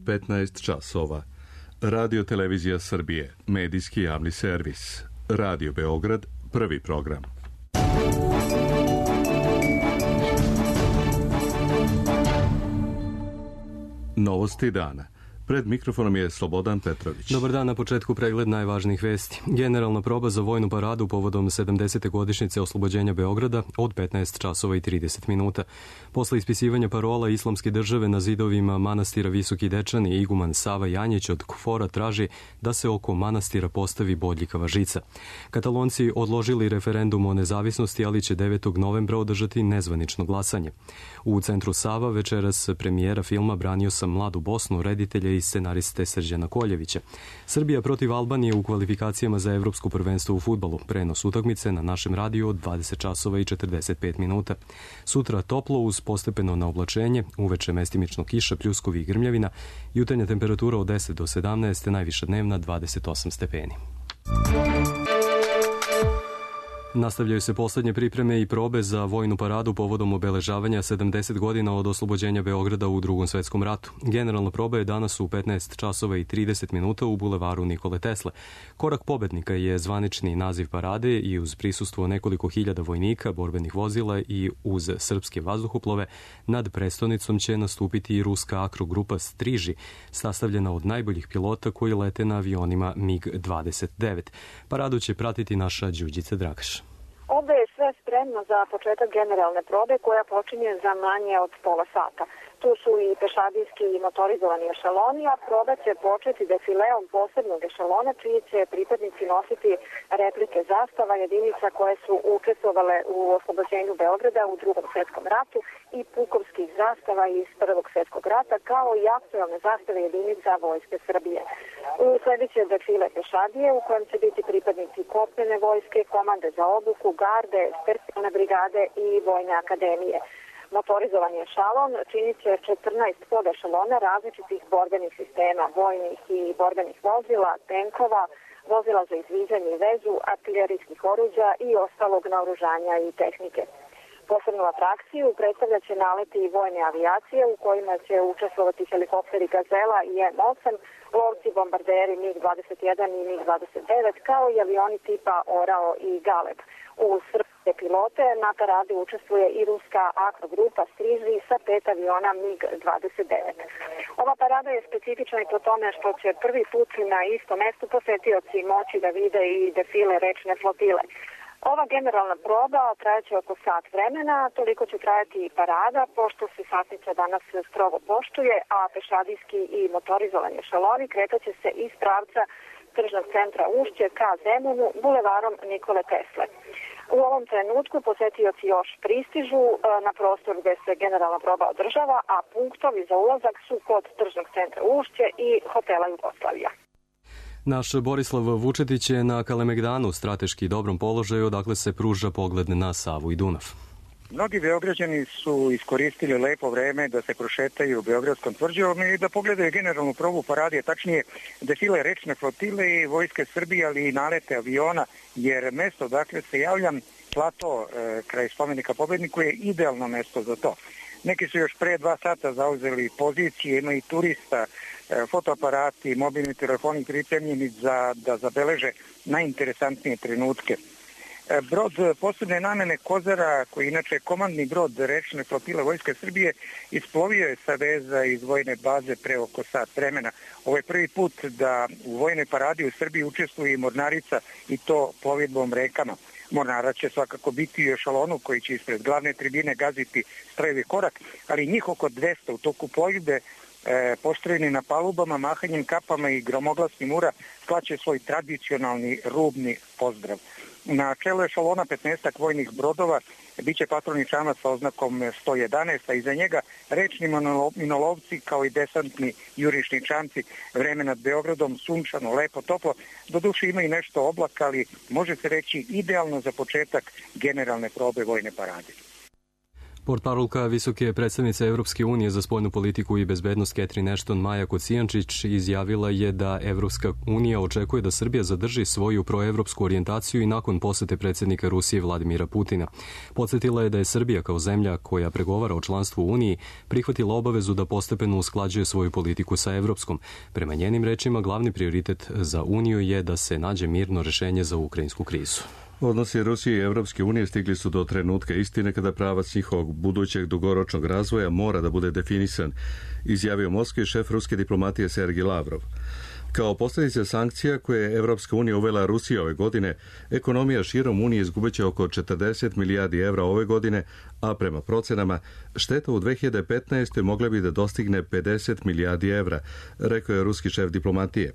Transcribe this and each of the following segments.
15 časova. Radio Televizija Srbije, medijski javni servis. Radio Beograd, prvi program. Novosti dana. Pred mikrofonom je Slobodan Petrović. Dobar dan, na početku pregled najvažnijih vesti. Generalna proba za vojnu paradu povodom 70. godišnjice oslobođenja Beograda od 15 časova i 30 minuta. Posle ispisivanja parola Islamske države na zidovima manastira Visoki Dečani, iguman Sava Janjić od KFOR-a traži da se oko manastira postavi bodljikava žica. Katalonci odložili referendum o nezavisnosti, ali će 9. novembra održati nezvanično glasanje. U centru Sava večeras premijera filma Branio sam mladu Bosnu, reditelja i scenariste Srđana Koljevića. Srbija protiv Albanije u kvalifikacijama za evropsko prvenstvo u fudbalu. Prenos utakmice na našem radiju od 20 časova i 45 minuta. Sutra toplo uz postepeno naoblačenje, uveče mestimično kiša, pljuskovi i grmljavina, jutarnja temperatura od 10 do 17, najviša dnevna 28 stepeni. Nastavljaju se poslednje pripreme i probe za vojnu paradu povodom obeležavanja 70 godina od oslobođenja Beograda u Drugom svetskom ratu. Generalna proba je danas u 15 časova i 30 minuta u bulevaru Nikole Tesle. Korak pobednika je zvanični naziv parade i uz prisustvo nekoliko hiljada vojnika, borbenih vozila i uz srpske vazduhoplove nad prestonicom će nastupiti i ruska akrogrupa Striži, sastavljena od najboljih pilota koji lete na avionima MiG-29. Paradu će pratiti naša Đurđica Dragaš. Ovde je sve spremno za početak generalne probe koja počinje za manje od pola sata. Tu su i pešadijski i motorizovani ešaloni, a proba će početi defileom posebnog ešalona čiji će pripadnici nositi replike zastava jedinica koje su učestvovale u oslobođenju Beograda u Drugom svetskom ratu i pukovskih zastava iz Prvog svjetskog rata, kao i aktualne zastave jedinica Vojske Srbije. Sljedeće defile pešadije u kojem će biti pripadnici kopnene vojske, komande za obuku, garde, specijalne brigade i vojne akademije. Motorizovani ešalon činit će 14 podešalona različitih borbenih sistema, vojnih i borbenih vozila, tenkova, vozila za izviđanje i vezu, artiljerijskih oruđa i ostalog naoružanja i tehnike. Posebnu atrakciju predstavlja će naleti i vojne avijacije u kojima će učestvovati helikopteri Gazela i M8, lovci bombarderi MiG-21 i MiG-29, kao i avioni tipa Orao i Galeb. U srpske pilote na paradi učestvuje i ruska akrogrupa Striži sa 5 aviona MiG-29. Ova parada je specifična i po tome što će prvi put na istom mestu posetioci moći da vide i defile rečne flotile. Ova generalna proba trajaće oko sat vremena, toliko će trajati i parada, pošto se satnica danas strogo poštuje, a pešadijski i motorizovani ešaloni kretaće se iz pravca tržnog centra Ušće ka Zemunu, bulevarom Nikole Tesle. U ovom trenutku posetioci još pristižu na prostor gde se generalna proba održava, a punktovi za ulazak su kod tržnog centra Ušće i hotela Jugoslavija. Naš Borislav Vučetić je na Kalemegdanu, strateški dobrom položaju, odakle se pruža pogled na Savu i Dunav. Mnogi Beograđani su iskoristili lepo vreme da se prošetaju Beogradskom tvrđavom i da pogledaju generalnu probu parade, tačnije defile rečne flotile i Vojske Srbije, ali i nalete aviona, jer mesto dakle se javljam, plato kraj spomenika pobedniku je idealno mesto za to. Neki su još pre 2 sata zauzeli pozicije, ima i turista, fotoaparati, mobilni telefoni pripremljeni da zabeleže najinteresantnije trenutke. Brod posebne namene Kozara, koji je inače komandni brod rečne flotile Vojske Srbije, isplovio je sa veza iz vojne baze pre oko sat vremena. Ovo je prvi put da u vojnoj paradi u Srbiji učestvuje i mornarica, i to plovidbom rekama. Mornara će svakako biti u ešalonu koji će ispred glavne tribine gaziti strojevi korak, ali njih oko 200 u toku plovidbe postrojeni na palubama, mahanjem kapama i gromoglasnim ura slaće svoj tradicionalni rubni pozdrav. Na čelu ešalona 15 vojnih brodova biće patrolni čamac sa oznakom 111, a iza njega rečni minolovci kao i desantni jurišni čamci. Vreme nad Beogradom sunčano, lepo, toplo. Doduše ima i nešto oblaka, ali može se reći idealno za početak generalne probe vojne parade. Portparolka visoke predstavnice Evropske unije za spoljnu politiku i bezbednost Catherine Ashton Maja Kocijančić izjavila je da Evropska unija očekuje da Srbija zadrži svoju proevropsku orijentaciju i nakon posete predsjednika Rusije Vladimira Putina. Podsjetila je da je Srbija kao zemlja koja pregovara o članstvu u Uniji prihvatila obavezu da postepeno usklađuje svoju politiku sa evropskom. Prema njenim rečima, glavni prioritet za Uniju je da se nađe mirno rješenje za ukrajinsku krizu. Odnosi Rusije i Evropske unije stigli su do trenutka istine kada pravac njihovog budućeg dugoročnog razvoja mora da bude definisan, izjavio Moskvi šef ruske diplomatije Sergij Lavrov. Kao posljedica sankcija koje je Evropska unija uvela Rusiji ove godine, ekonomija širom Unije izgubit će oko 40 milijardi evra ove godine, a prema procenama šteta u 2015. mogla bi da dostigne 50 milijardi evra, rekao je ruski šef diplomatije.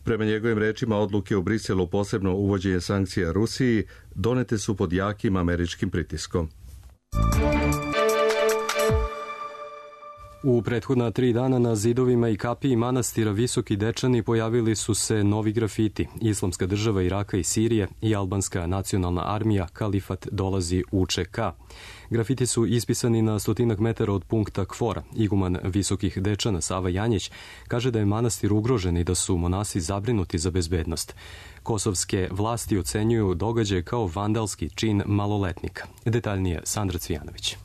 Prema njegovim rečima, odluke u Briselu, posebno uvođenje sankcija Rusiji, donete su pod jakim američkim pritiskom. U prethodna 3 dana na zidovima i kapiji manastira Visoki Dečani pojavili su se novi grafiti. Islamska država Iraka i Sirije i albanska nacionalna armija Kalifat dolazi u ČK. Grafiti su ispisani na 100 metara od punkta Kvora. Iguman Visokih Dečana Sava Janjić kaže da je manastir ugrožen i da su monasi zabrinuti za bezbednost. Kosovske vlasti ocenjuju događaj kao vandalski čin maloletnika. Detaljnije Sandra Cvijanović.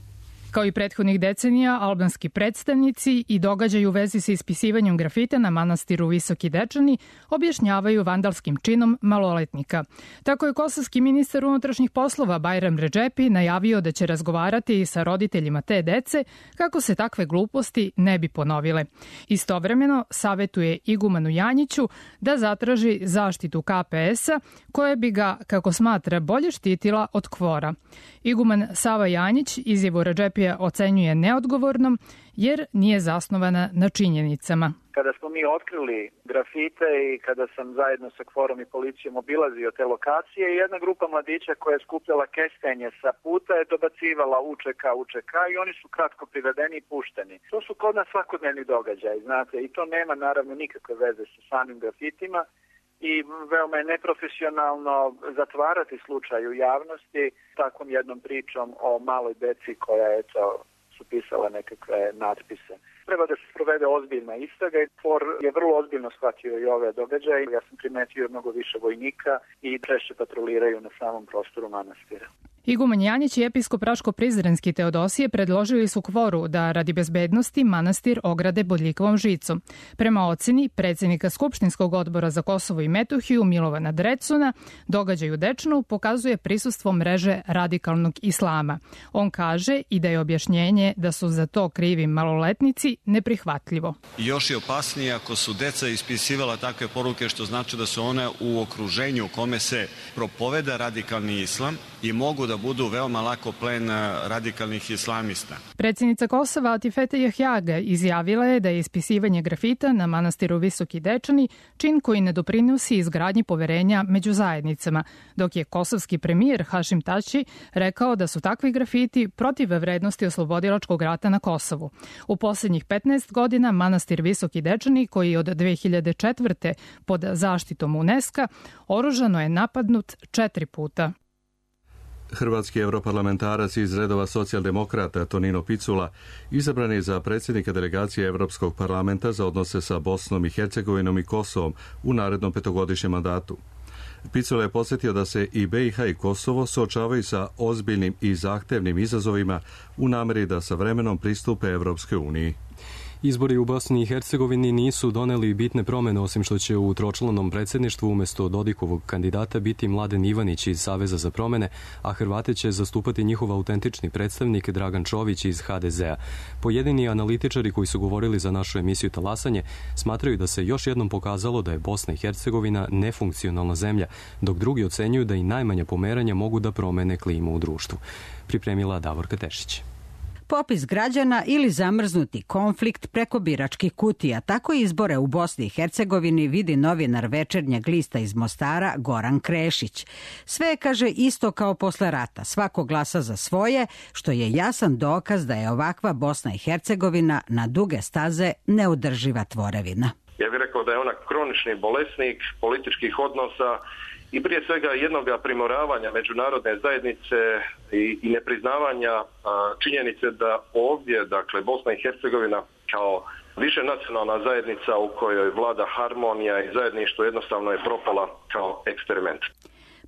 Kao i prethodnih decenija, albanski predstavnici i događaj u vezi sa ispisivanjem grafita na manastiru Visoki Dečani objašnjavaju vandalskim činom maloletnika. Tako je kosovski ministar unutrašnjih poslova Bajram Redžepi najavio da će razgovarati i sa roditeljima te dece kako se takve gluposti ne bi ponovile. Istovremeno savetuje igumanu Janjiću da zatraži zaštitu KPS-a koja bi ga, kako smatra, bolje štitila od Kvora. Iguman Sava Janjić izjavu Redžepija ocenjuje neodgovornom jer nije zasnovana na činjenicama. Kada smo mi otkrili grafite i kada sam zajedno sa Kvorom i policijom obilazio te lokacije, jedna grupa mladića koja je skupljala kestenje sa puta je dobacivala UČK i oni su kratko privedeni i pušteni. To su kod nas svakodnevni događaj, znate, i to nema naravno nikakve veze sa samim grafitima i veoma je neprofesionalno zatvarati slučaj u javnosti takvom jednom pričom o maloj deci koja su pisala nekakve natpise. Treba da se sprovede ozbiljna istraga i Kvor je vrlo ozbiljno shvatio i ove događaje. Ja sam primetio mnogo više vojnika i češće patroliraju na samom prostoru manastira. Iguman Janjić i episkop Raško-Prizrenski Teodosije predložili su Kvoru da radi bezbednosti manastir ograde bodljikovom žicom. Prema oceni predsjednika Skupštinskog odbora za Kosovo i Metohiju Milovana Drecuna, događaj u Dečanu pokazuje prisustvo mreže radikalnog islama. On kaže i da je objašnjenje da su za to krivi maloletnici neprihvatljivo. Još je opasnije ako su deca ispisivala takve poruke, što znači da su one u okruženju u kome se propoveda radikalni islam i mogu da budu veoma lako plen radikalnih islamista. Predsjednica Kosova Atifete Jahjaga izjavila je da je ispisivanje grafita na manastiru Visoki Dečani čin koji ne doprinosi izgradnji poverenja među zajednicama, dok je kosovski premijer Hašim Tači rekao da su takvi grafiti protiv vrednosti oslobodilačkog rata na Kosovu. U posljednjih 15 godina manastir Visoki Dečani, koji je od 2004. pod zaštitom UNESCO, oružano je napadnut 4 puta. Hrvatski europarlamentarac iz redova socijaldemokrata Tonino Picula izabran je za predsjednika delegacije Europskog parlamenta za odnose sa Bosnom i Hercegovinom i Kosovom u narednom 5-godišnjem mandatu. Picula je podsjetio da se i BiH i Kosovo suočavaju sa ozbiljnim i zahtevnim izazovima u namjeri da sa vremenom pristupe Europskoj uniji. Izbori u Bosni i Hercegovini nisu doneli bitne promjene, osim što će u tročlanom predsjedništvu umjesto Dodikovog kandidata biti Mladen Ivanić iz Saveza za promjene, a Hrvate će zastupati njihov autentični predstavnik Dragan Čović iz HDZ-a. Pojedini analitičari koji su govorili za našu emisiju Talasanje smatraju da se još jednom pokazalo da je Bosna i Hercegovina nefunkcionalna zemlja, dok drugi ocenjuju da i najmanja pomeranja mogu da promene klimu u društvu. Pripremila Davorka Tešić. Popis građana ili zamrznuti konflikt preko biračkih kutija. Tako izbore u Bosni i Hercegovini vidi novinar Večernjeg lista iz Mostara Goran Krešić. Sve je, kaže, isto kao posle rata. Svako glasa za svoje, što je jasan dokaz da je ovakva Bosna i Hercegovina na duge staze neudrživa tvorevina. Ja bih rekao da je ona kronični bolesnik političkih odnosa i prije svega jednog primoravanja međunarodne zajednice i nepriznavanja činjenice da ovdje, dakle, Bosna i Hercegovina kao višenacionalna zajednica u kojoj vlada harmonija i zajedništvo jednostavno je propala kao eksperiment.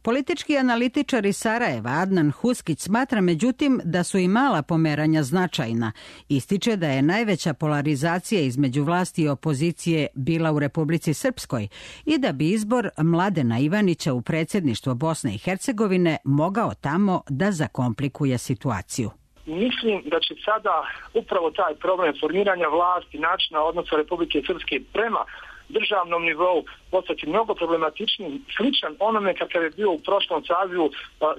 Politički analitičar iz Sarajeva Adnan Huskić smatra međutim da su i mala pomeranja značajna. Ističe da je najveća polarizacija između vlasti i opozicije bila u Republici Srpskoj i da bi izbor Mladena Ivanića u predsjedništvo Bosne i Hercegovine mogao tamo da zakomplikuje situaciju. Mislim da će sada upravo taj problem formiranja vlasti, načina odnosa Republike Srpske prema državnom nivou postati mnogo problematičnim, sličan onome kakav je bio u prošlom sazivu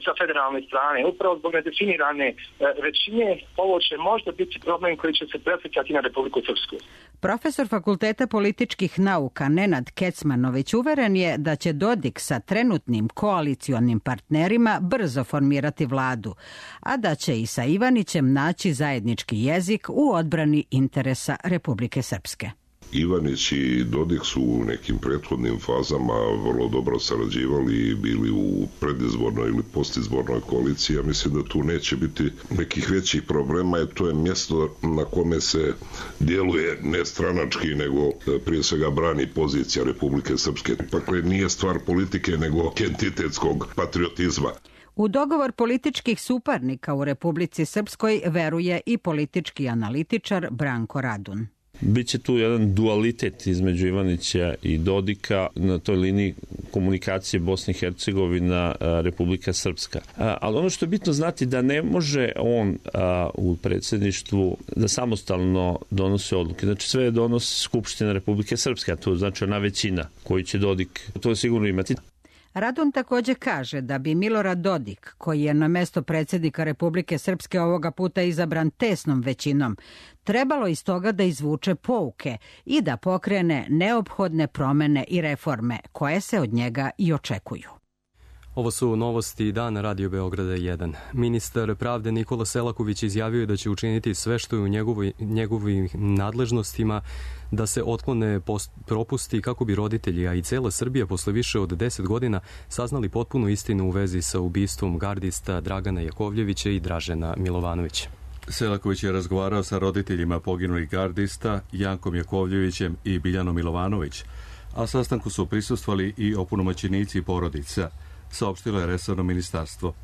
sa federalne strane. Upravo zbog nedefinirane većine ovo će možda biti problem koji će se preslikati na Republiku Srpsku. Profesor Fakulteta političkih nauka Nenad Kecmanović uveren je da će Dodik sa trenutnim koalicionim partnerima brzo formirati vladu, a da će i sa Ivanićem naći zajednički jezik u odbrani interesa Republike Srpske. Ivanić i Dodik su u nekim prethodnim fazama vrlo dobro sarađivali i bili u predizbornoj ili postizbornoj koaliciji. Ja mislim da tu neće biti nekih većih problema, jer to je mjesto na kome se djeluje ne stranački, nego prije svega brani pozicija Republike Srpske. Dakle, nije stvar politike, nego entitetskog patriotizma. U dogovor političkih suparnika u Republici Srpskoj veruje i politički analitičar Branko Radun. Biće tu jedan dualitet između Ivanića i Dodika na toj liniji komunikacije Bosna i Hercegovina, Republika Srpska. Ali ono što je bitno znati da ne može on u predsjedništvu da samostalno donosi odluke. Znači sve donosi Skupština Republike Srpske, a to znači ona većina koju će Dodik to sigurno imati. Radun također kaže da bi Milorad Dodik, koji je na mesto predsjednika Republike Srpske ovoga puta izabran tesnom većinom, trebalo iz toga da izvuče pouke i da pokrene neophodne promjene i reforme koje se od njega i očekuju. Ovo su novosti dana Radio Beograda 1. Ministar pravde Nikola Selaković izjavio je da će učiniti sve što je u njegovim nadležnostima da se otklone propusti kako bi roditelji, a i cela Srbija posle više od 10 godina saznali potpunu istinu u vezi sa ubistvom gardista Dragana Jakovljevića i Dražena Milovanovića. Selaković je razgovarao sa roditeljima poginulih gardista Jankom Jakovljevićem i Biljanom Milovanović, a sastanku su prisustvovali i opunomoćenici porodica, saopštilo je resorno ministarstvo.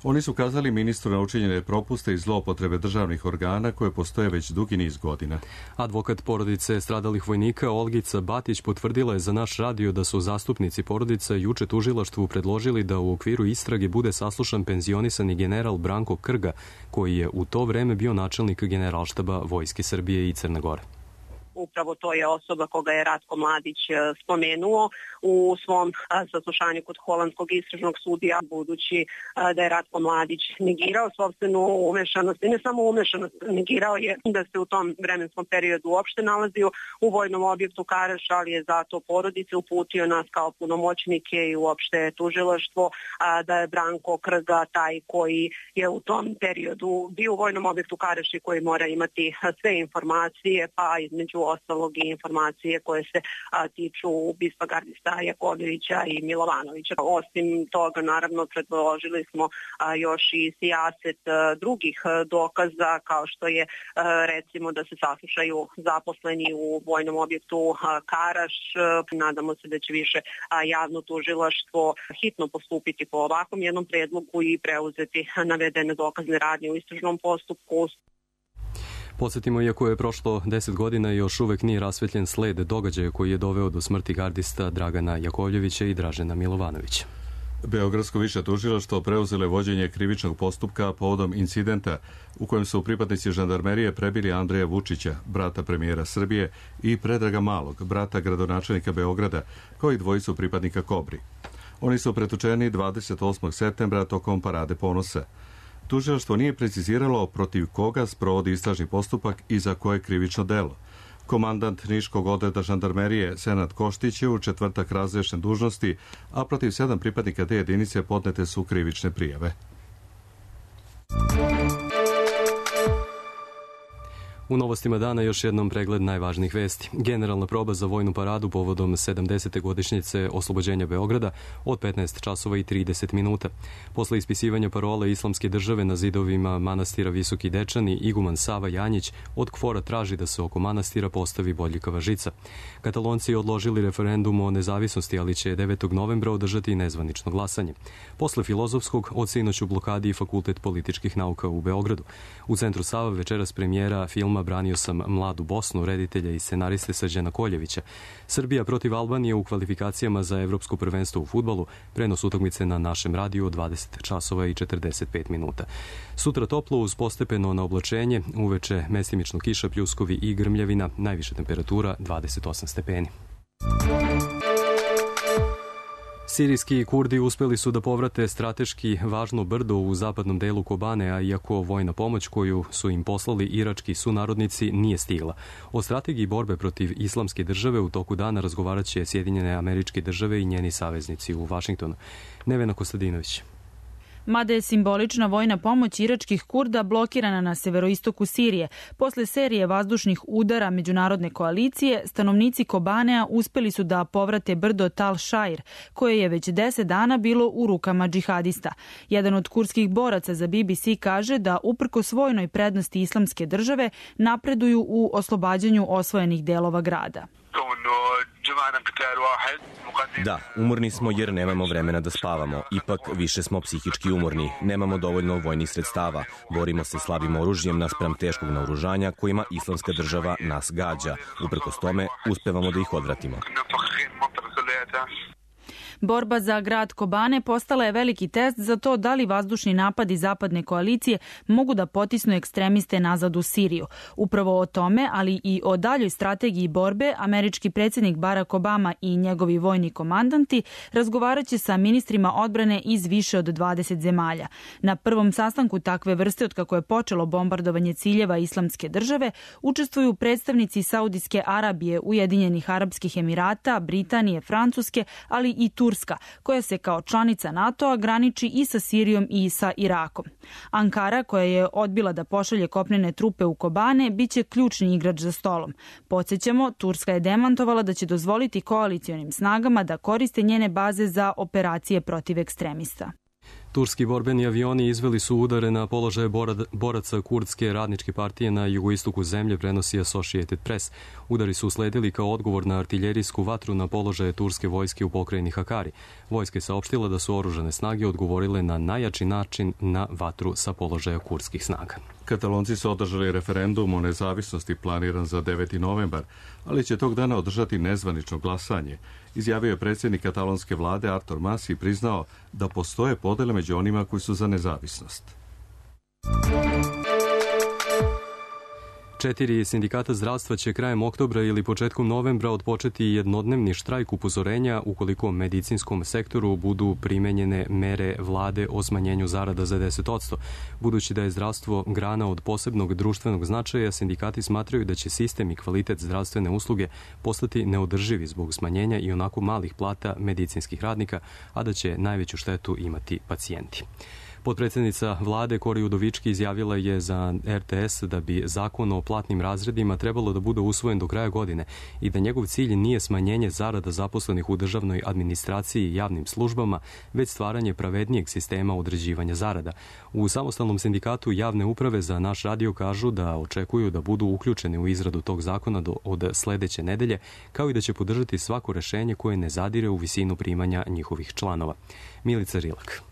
Oni su kazali ministru na učinjene propuste i zloupotrebe državnih organa koje postoje već dugi niz godina. Advokat porodice stradalih vojnika Olgica Batić potvrdila je za naš radio da su zastupnici porodica juče tužilaštvu predložili da u okviru istrage bude saslušan penzionisani general Branko Krga, koji je u to vreme bio načelnik Generalštaba Vojske Srbije i Crne Gore. Upravo to je osoba koga je Ratko Mladić spomenuo u svom saslušanju kod holandskog istražnog sudija, budući da je Ratko Mladić negirao sopstvenu umešanost i ne samo umešanost, negirao je da se u tom vremenskom periodu uopšte nalazio u vojnom objektu Karaš, ali je zato porodice uputio nas kao punomoćnike i uopšte tužilaštvo da je Branko Krga taj koji je u tom periodu bio u vojnom objektu Karaš i koji mora imati sve informacije, pa između ostalog i informacije koje se tiču ubistva gardista Jakovljevića i Milovanovića. Osim toga, naravno, predložili smo još i sijaset drugih dokaza, kao što je recimo da se saslušaju zaposleni u vojnom objektu Karaš. Nadamo se da će više javno tužilaštvo hitno postupiti po ovakvom jednom predlogu i preuzeti navedene dokazne radnje u istražnom postupku. Podsjetimo, iako je prošlo 10 godina, još uvek nije rasvetljen sled događaja koji je doveo do smrti gardista Dragana Jakovljevića i Dražena Milovanovića. Beogradsko više tužilaštvo preuzelo vođenje krivičnog postupka povodom incidenta u kojem su pripadnici žandarmerije prebili Andreja Vučića, brata premijera Srbije, i Predraga Malog, brata gradonačelnika Beograda, kao i dvojicu pripadnika Kobri. Oni su pretučeni 28. septembra tokom Parade ponosa. Tužilaštvo nije preciziralo protiv koga sprovodi istražni postupak i za koje krivično delo. Komandant Niškog odreda žandarmerije Senad Koštić je u četvrtak razrešen dužnosti, a protiv 7 pripadnika te jedinice podnete su krivične prijave. U novostima dana još jednom pregled najvažnijih vesti. Generalna proba za vojnu paradu povodom 70. godišnjice oslobođenja Beograda od 15 časova i 30 minuta. Posle ispisivanja parola Islamske države na zidovima manastira Visoki Dečani, iguman Sava Janjić od KFOR-a traži da se oko manastira postavi bodljikava žica. Katalonci odložili referendum o nezavisnosti, ali će 9. novembra održati nezvanično glasanje. Posle Filozofskog od sinoć u blokadi i Fakultet političkih nauka u Beogradu. U centru Sava večeras premijera filma Branio sam mladu Bosnu, reditelja i scenariste Srđana Koljevića. Srbija protiv Albanije u kvalifikacijama za evropsko prvenstvo u fudbalu, prenos utakmice na našem radiju od 20 časova i 45 minuta. Sutra toplo uz postepeno na oblačenje, uveče mestimično kiša, pljuskovi i grmljavina, najviša temperatura 28 stepeni. Sirijski Kurdi uspeli su da povrate strateški važno brdo u zapadnom delu Kobane, a iako vojna pomoć koju su im poslali irački sunarodnici nije stigla. O strategiji borbe protiv Islamske države u toku dana razgovarat će Sjedinjene Američke Države i njeni saveznici u Vašingtonu. Nevena Kostadinović. Mada je simbolična vojna pomoć iračkih Kurda blokirana na severoistoku Sirije, posle serije vazdušnih udara međunarodne koalicije, stanovnici Kobanea uspeli su da povrate brdo Tal Šair, koje je već 10 dana bilo u rukama džihadista. Jedan od kurdskih boraca za BBC kaže da uprkos vojnoj prednosti Islamske države napreduju u oslobađanju osvojenih delova grada. Da, umorni smo jer nemamo vremena da spavamo. Ipak više smo psihički umorni. Nemamo dovoljno vojnih sredstava. Borimo se slabim oružjem naspram teškog naoružanja kojima Islamska država nas gađa. Uprkos tome, uspevamo da ih odvratimo. Borba za grad Kobane postala je veliki test za to da li vazdušni napadi zapadne koalicije mogu da potisnu ekstremiste nazad u Siriju. Upravo o tome, ali i o daljoj strategiji borbe, američki predsjednik Barack Obama i njegovi vojni komandanti razgovaraće sa ministrima odbrane iz više od 20 zemalja. Na prvom sastanku takve vrste od kako je počelo bombardovanje ciljeva Islamske države učestvuju predstavnici Saudijske Arabije, Ujedinjenih Arapskih Emirata, Britanije, Francuske, ali i Turska, koja se kao članica NATO-a graniči i sa Sirijom i sa Irakom. Ankara, koja je odbila da pošalje kopnene trupe u Kobane, biće ključni igrač za stolom. Podsjećamo, Turska je demantovala da će dozvoliti koalicionim snagama da koriste njene baze za operacije protiv ekstremista. Turski borbeni avioni izveli su udare na položaje boraca Kurdske radničke partije na jugoistoku zemlje, prenosi Associated Press. Udari su usledili kao odgovor na artiljerijsku vatru na položaje turske vojske u pokrajini Hakari. Vojska je saopštila da su oružane snage odgovorile na najjači način na vatru sa položaja kurdskih snaga. Katalonci su održali referendum o nezavisnosti planiran za 9. novembar, ali će tog dana održati nezvanično glasanje. Izjavio je predsjednik katalonske vlade Artur Mas i priznao da postoje podele među onima koji su za nezavisnost. 4 sindikata zdravstva će krajem oktobra ili početkom novembra odpočeti jednodnevni štrajk upozorenja ukoliko u medicinskom sektoru budu primenjene mere vlade o smanjenju zarada za 10%. Budući da je zdravstvo grana od posebnog društvenog značaja, sindikati smatraju da će sistem i kvalitet zdravstvene usluge postati neodrživi zbog smanjenja i onako malih plata medicinskih radnika, a da će najveću štetu imati pacijenti. Potpredsjednica vlade Kori Udovički izjavila je za RTS da bi zakon o platnim razredima trebalo da bude usvojen do kraja godine i da njegov cilj nije smanjenje zarada zaposlenih u državnoj administraciji i javnim službama, već stvaranje pravednijeg sistema određivanja zarada. U samostalnom sindikatu javne uprave za naš radio kažu da očekuju da budu uključeni u izradu tog zakona od sledeće nedelje, kao i da će podržati svako rešenje koje ne zadire u visinu primanja njihovih članova. Milica Rilak.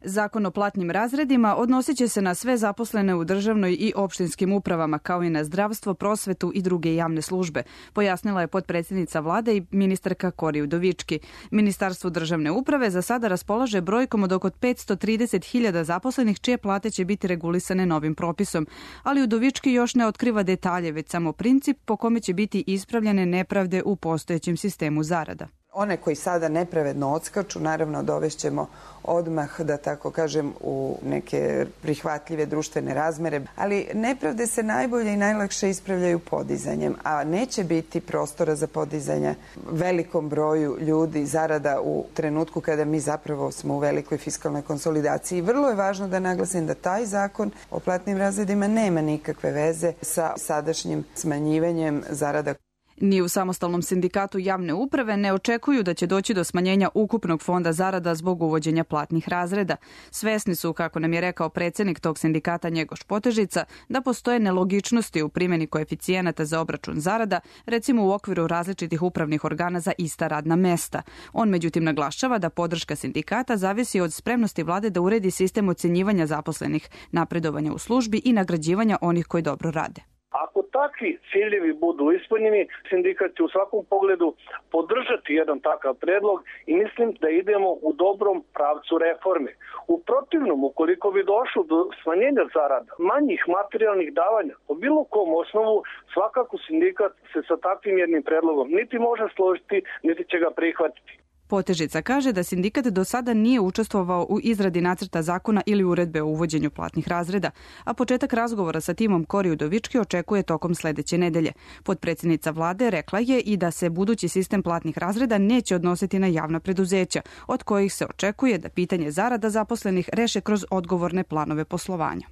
Zakon o platnim razredima odnosit će se na sve zaposlene u državnoj i opštinskim upravama, kao i na zdravstvo, prosvetu i druge javne službe, pojasnila je potpredsjednica vlade i ministarka Kori Udovički. Ministarstvo državne uprave za sada raspolaže brojkom od oko 530.000 zaposlenih, čije plate će biti regulisane novim propisom, ali Udovički još ne otkriva detalje, već samo princip po kome će biti ispravljene nepravde u postojećem sistemu zarada. One koji sada nepravedno odskaču, naravno dovešćemo odmah, da tako kažem, u neke prihvatljive društvene razmere, ali nepravde se najbolje i najlakše ispravljaju podizanjem, a neće biti prostora za podizanje velikom broju ljudi zarada u trenutku kada mi zapravo smo u velikoj fiskalnoj konsolidaciji. Vrlo je važno da naglasim da taj zakon o platnim razredima nema nikakve veze sa sadašnjim smanjivanjem zarada. Ni u samostalnom sindikatu javne uprave ne očekuju da će doći do smanjenja ukupnog fonda zarada zbog uvođenja platnih razreda. Svesni su, kako nam je rekao predsednik tog sindikata Njegoš Potežica, da postoje nelogičnosti u primjeni koeficijenata za obračun zarada, recimo u okviru različitih upravnih organa za ista radna mesta. On međutim naglašava da podrška sindikata zavisi od spremnosti vlade da uredi sistem ocenjivanja zaposlenih, napredovanja u službi i nagrađivanja onih koji dobro rade. Ako takvi ciljevi budu ispunjeni, sindikat će u svakom pogledu podržati jedan takav predlog i mislim da idemo u dobrom pravcu reforme. U protivnom, ukoliko bi došlo do smanjenja zarada, manjih materijalnih davanja, po bilo kom osnovu, svakako sindikat se sa takvim jednim predlogom niti može složiti, niti će ga prihvatiti. Potežica kaže da sindikat do sada nije učestvovao u izradi nacrta zakona ili uredbe o uvođenju platnih razreda, a početak razgovora sa timom Kori Udovički očekuje tokom sledeće nedelje. Potpredsjednica vlade rekla je i da se budući sistem platnih razreda neće odnositi na javna preduzeća, od kojih se očekuje da pitanje zarada zaposlenih reše kroz odgovorne planove poslovanja.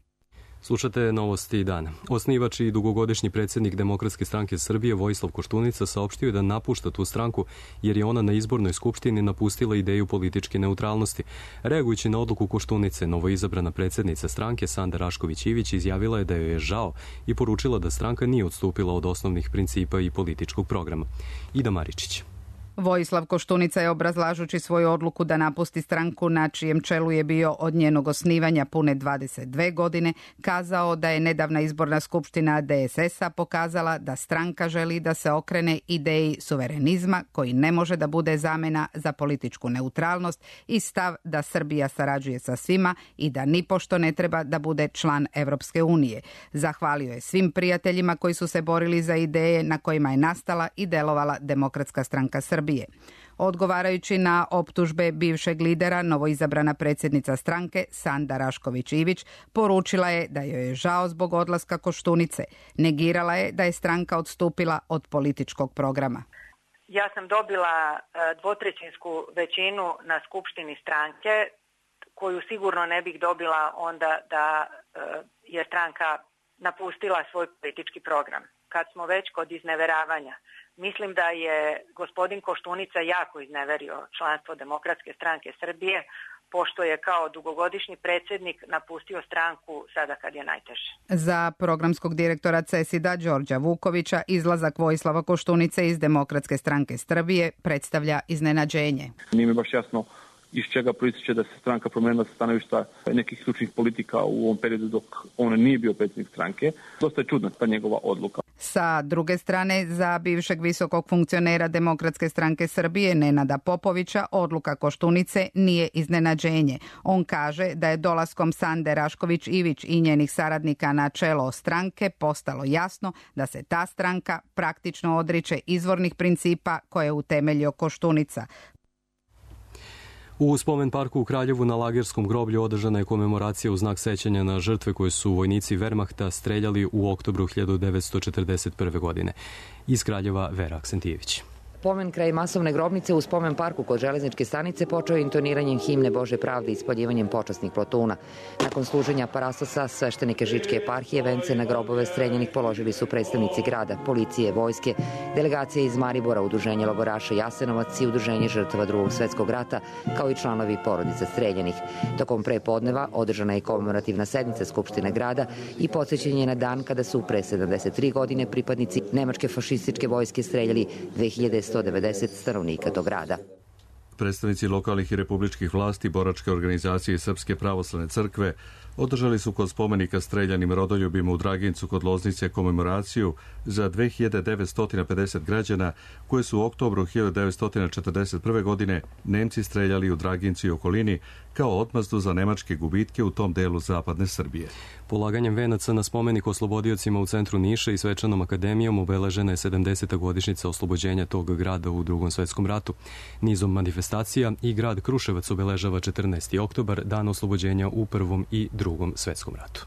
Slušate novosti dana. Osnivač i dugogodišnji predsjednik Demokratske stranke Srbije Vojislav Koštunica saopštio je da napušta tu stranku jer je ona na izbornoj skupštini napustila ideju političke neutralnosti. Reagujući na odluku Koštunice, novoizabrana predsjednica stranke Sanda Rašković-Ivić izjavila je da joj je žao i poručila da stranka nije odstupila od osnovnih principa i političkog programa. Ida Maričić. Vojislav Koštunica je, obrazlažući svoju odluku da napusti stranku na čijem čelu je bio od njenog osnivanja pune 22 godine, kazao da je nedavna izborna skupština DSS-a pokazala da stranka želi da se okrene ideji suverenizma koji ne može da bude zamena za političku neutralnost i stav da Srbija sarađuje sa svima i da nipošto ne treba da bude član Evropske unije. Zahvalio je svim prijateljima koji su se borili za ideje na kojima je nastala i delovala Demokratska stranka Srbije. Odgovarajući na optužbe bivšeg lidera, novoizabrana predsjednica stranke Sanda Rašković-Ivić poručila je da joj je žao zbog odlaska Koštunice. Negirala je da je stranka odstupila od političkog programa. Ja sam dobila dvotrećinsku većinu na skupštini stranke, koju sigurno ne bih dobila onda da je stranka napustila svoj politički program. Kad smo već kod izneveravanja, mislim da je gospodin Koštunica jako izneverio članstvo Demokratske stranke Srbije, pošto je kao dugogodišnji predsjednik napustio stranku sada kad je najteže. Za programskog direktora CESID-a Đorđa Vukovića izlazak Vojislava Koštunice iz Demokratske stranke Srbije predstavlja iznenađenje. Nije mi baš jasno iz čega proističe da se stranka promenila sa stanovišta nekih ključnih politika u ovom periodu dok on nije bio predsjednik stranke. Dosta je čudna ta njegova odluka. Sa druge strane, za bivšeg visokog funkcionera Demokratske stranke Srbije Nenada Popovića odluka Koštunice nije iznenađenje. On kaže da je dolaskom Sande Rašković-Ivić i njenih saradnika na čelo stranke postalo jasno da se ta stranka praktično odriče izvornih principa koje je utemeljio Koštunica. U spomen parku u Kraljevu na Lagerskom groblju održana je komemoracija u znak sećanja na žrtve koje su vojnici Wehrmachta streljali u oktobru 1941. godine. Iz Kraljeva Vera Aksentijević. Pomen kraj masovne grobnice u spomen parku kod železničke stanice počeo je intoniranjem himne Bože pravde i ispaljivanjem počasnih plotuna. Nakon služenja parastosa, sveštenike Žičke eparhije vence na grobove streljanih položili su predstavnici grada, policije, vojske, delegacije iz Maribora, udruženje logoraša Jasenovac i udruženje žrtava Drugog svetskog rata, kao i članovi porodica streljanih. Tokom prepodneva održana je komemorativna sednica Skupštine grada i podsjećanje na dan kada su pre 73 godine pripadnici nemačke fašističke vojske streljali 2190 stanovnika tog grada. Predstavnici lokalnih i republičkih vlasti, boračke organizacije Srpske pravoslavne crkve, održali su kod spomenika streljanim rodoljubima u Dragincu kod Loznice komemoraciju za 2950 građana koje su u oktobru 1941. godine Nemci streljali u Dragincu i okolini kao odmazdu za nemačke gubitke u tom delu zapadne Srbije. Polaganjem venaca na spomenik oslobodiocima u centru Niša i svečanom akademijom obeležena je 70. godišnjica oslobođenja tog grada u Drugom svetskom ratu. Nizom manifestacija i grad Kruševac obeležava 14. oktobar, dan oslobođenja u Prvom i Drugom svetskom ratu.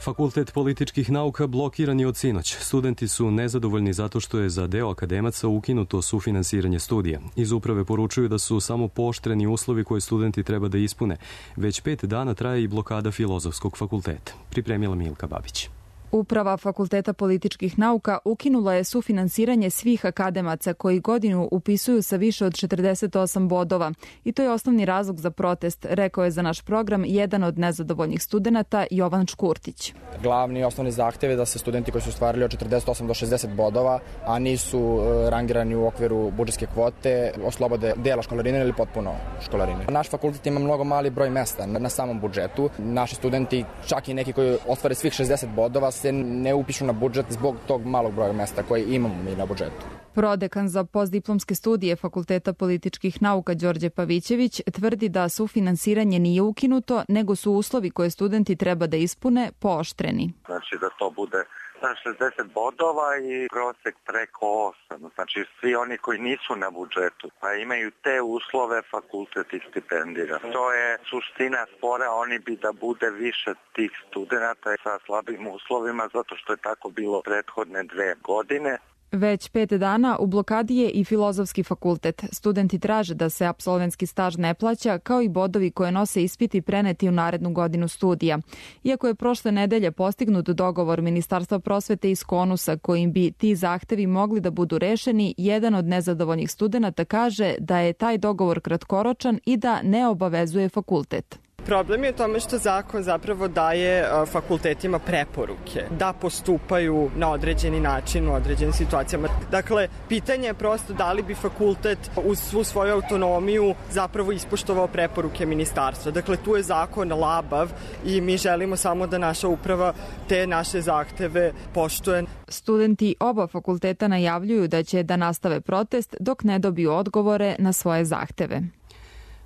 Fakultet političkih nauka blokiran je od sinoć. Studenti su nezadovoljni zato što je za deo akademaca ukinuto sufinansiranje studija. Iz uprave poručuju da su samo pooštreni uslovi koje studenti treba da ispune. Već 5 dana traje i blokada Filozofskog fakulteta. Pripremila Milka Babić. Uprava Fakulteta političkih nauka ukinula je sufinansiranje svih akademaca koji godinu upisuju sa više od 48 bodova. I to je osnovni razlog za protest, rekao je za naš program jedan od nezadovoljnih studenata, Jovan Škurtić. Glavni i osnovni zahtev je da se studenti koji su ostvarili od 48 do 60 bodova, a nisu rangirani u okviru budžetske kvote, oslobode dela školarine ili potpuno školarine. Naš fakultet ima mnogo mali broj mesta na samom budžetu. Naši studenti, čak i neki koji ostvare svih 60 bodova, se ne upišu na budžet zbog tog malog broja mesta koje imamo mi na budžetu. Prodekan za postdiplomske studije Fakulteta političkih nauka Đorđe Pavićević tvrdi da sufinansiranje nije ukinuto, nego su uslovi koje studenti treba da ispune pooštreni. Znači da to bude 60 bodova i prosek preko 8. Znači svi oni koji nisu na budžetu, pa imaju te uslove, fakultet ih stipendira. To je suština spora, oni bi da bude više tih studenata sa slabim uslovima, zato što je tako bilo prethodne 2 godine. Već 5 dana u blokadi je i Filozofski fakultet. Studenti traže da se apsolventski staž ne plaća, kao i bodovi koje nose ispiti preneti u narednu godinu studija. Iako je prošle nedelje postignut dogovor Ministarstva prosvete iz Konusa kojim bi ti zahtevi mogli da budu rešeni, jedan od nezadovoljnih studenata kaže da je taj dogovor kratkoročan i da ne obavezuje fakultet. Problem je u tome što zakon zapravo daje fakultetima preporuke da postupaju na određeni način u određenim situacijama. Dakle, pitanje je prosto da li bi fakultet uz svu svoju autonomiju zapravo ispoštovao preporuke ministarstva. Dakle, tu je zakon labav i mi želimo samo da naša uprava te naše zahteve poštuje. Studenti oba fakulteta najavljuju da će da nastave protest dok ne dobiju odgovore na svoje zahteve.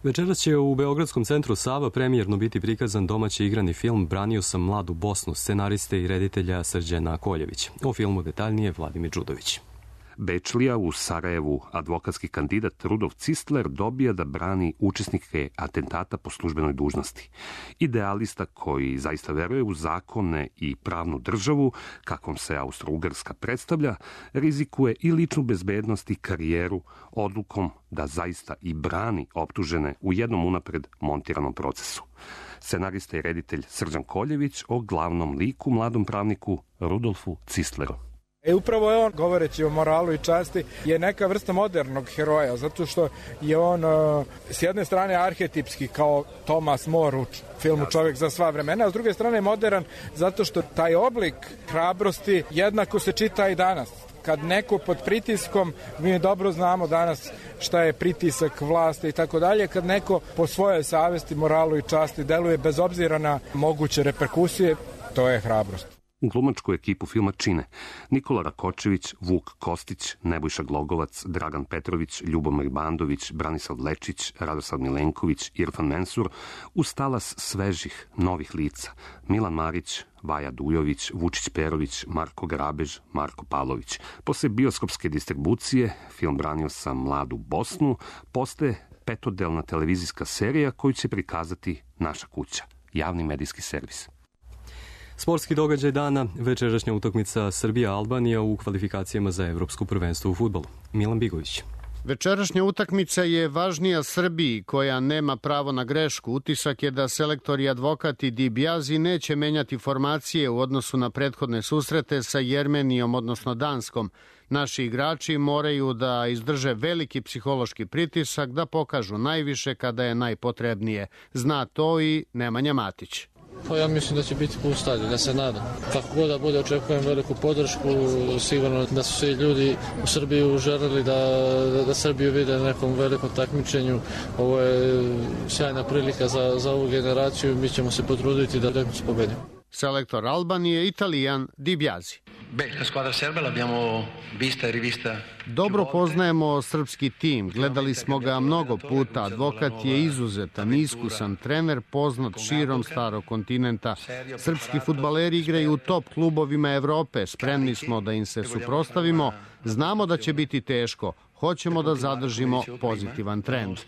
Večeras će u Beogradskom centru Sava premijerno biti prikazan domaći igrani film Branio sam mladu Bosnu, scenariste i reditelja Srđana Koljević. O filmu detaljnije Vladimir Đudović. Bečlija u Sarajevu advokatski kandidat Rudolf Cistler dobija da brani učesnike atentata po službenoj dužnosti. Idealista koji zaista veruje u zakone i pravnu državu, kakvom se Austro-Ugarska predstavlja, rizikuje i ličnu bezbednost i karijeru odlukom da zaista i brani optužene u jednom unapred montiranom procesu. Scenarista i reditelj Srđan Koljević o glavnom liku, mladom pravniku Rudolfu Cistleru. Upravo je on, govoreći o moralu i časti, je neka vrsta modernog heroja, zato što je on s jedne strane arhetipski kao Thomas More u filmu Čovjek za sva vremena, a s druge strane modern zato što taj oblik hrabrosti jednako se čita i danas. Kad neko pod pritiskom, mi dobro znamo danas šta je pritisak vlasti i tako dalje, kad neko po svojoj savesti, moralu i časti deluje bez obzira na moguće reperkusije, to je hrabrost. Glumačku ekipu filma čine Nikola Rakočević, Vuk Kostić, Nebojša Glogovac, Dragan Petrović, Ljubomir Bandović, Branislav Lečić, Radoslav Milenković, Irfan Mensur, uz talas svežih, novih lica, Milan Marić, Vaja Dujović, Vučić Perović, Marko Grabež, Marko Pavlović. Posle bioskopske distribucije, film Branio sam mladu Bosnu postaje 5-delna televizijska serija koju će prikazati Naša kuća, javni medijski servis. Sportski događaj dana, večerašnja utakmica Srbija-Albanija u kvalifikacijama za evropsko prvenstvo u fudbalu. Milan Bigović. Večerašnja utakmica je važnija Srbiji, koja nema pravo na grešku. Utisak je da selektor i advokat i Dibiazi neće menjati formacije u odnosu na prethodne susrete sa Jermenijom, odnosno Danskom. Naši igrači moraju da izdrže veliki psihološki pritisak, da pokažu najviše kada je najpotrebnije. Zna to i Nemanja Matić. Pa ja mislim da će biti pun stadion, ja se nadam. Kako god da bude, očekujem veliku podršku, sigurno da su svi ljudi u Srbiji želeli da Srbiju vide na nekom velikom takmičenju. Ovo je sjajna prilika za ovu generaciju, mi ćemo se potruditi da utakmicu pobedimo. Selektor Albanije Italijan Di Biasi. La squadra serba l'abbiamo vista e rivista. Dobro poznajemo srpski tim, gledali smo ga mnogo puta, advokat je izuzetan, iskusan trener, poznat širom starog kontinenta. Srpski fudbaleri igraju u top klubovima Evrope, spremni smo da im se suprotstavimo, znamo da će biti teško, hoćemo da zadržimo pozitivan trend.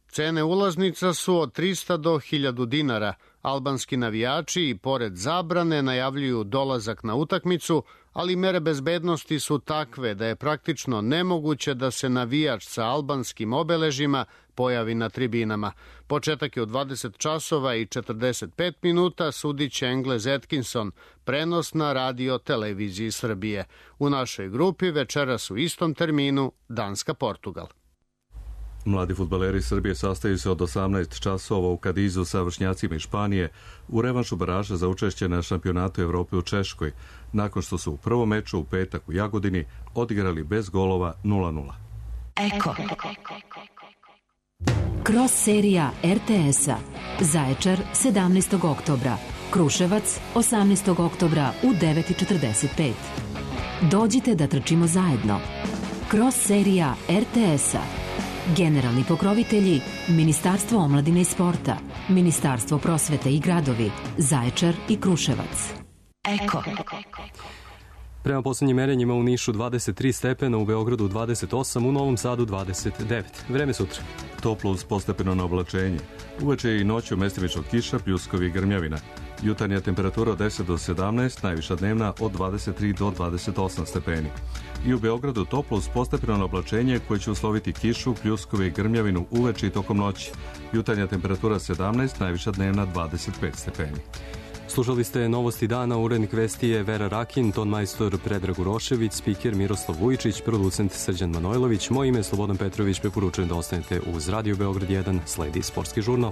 Cene ulaznica su od 300 do 1000 dinara. Albanski navijači i pored zabrane najavljuju dolazak na utakmicu, ali mere bezbednosti su takve da je praktično nemoguće da se navijač sa albanskim obeležima pojavi na tribinama. Početak je u 20 časova i 45 minuta, sudiće Englez Atkinson, prenos na radio televiziji Srbije. U našoj grupi večeras u istom terminu Danska-Portugal. Mladi fudbaleri Srbije sastaju se od 18 časova u Kadizu sa vršnjacima iz Španije u revanšu baraža za učešće na šampionatu Evrope u Češkoj, nakon što su u prvom meču u petak u Jagodini odigrali bez golova 0:0. Eko. Cross serija RTS-a. Zaječar 17. oktobra. Kruševac 18. oktobra u 9:45. Dođite da trčimo zajedno. Cross serija RTS-a. Generalni pokrovitelji Ministarstvo omladine i sporta, Ministarstvo prosvete i gradovi, Zaječar i Kruševac. Eko. Prema posljednjim merenjima u Nišu 23 stepena, u Beogradu 28, u Novom Sadu 29. Vreme sutra. Toplo uz postepeno na oblačenje. Uveče i noću mestimično kiša, pljuskovi i grmljavina. Jutarnja temperatura od 10 do 17, najviša dnevna od 23 do 28 stepeni. I u Beogradu toplo uz postepeno na oblačenje koje će usloviti kišu, pljuskove i grmljavinu uveče i tokom noći. Jutarnja temperatura 17, najviša dnevna 25 stepeni. Slušali ste novosti dana, urednik vesti je Vera Rakin, tonmajstor Predrag Urošević, spiker Miroslav Vujičić, producent Srđan Manojlović, moje ime je Slobodan Petrović, preporučujem da ostanete uz Radio Beograd 1, sledi sportski žurnal.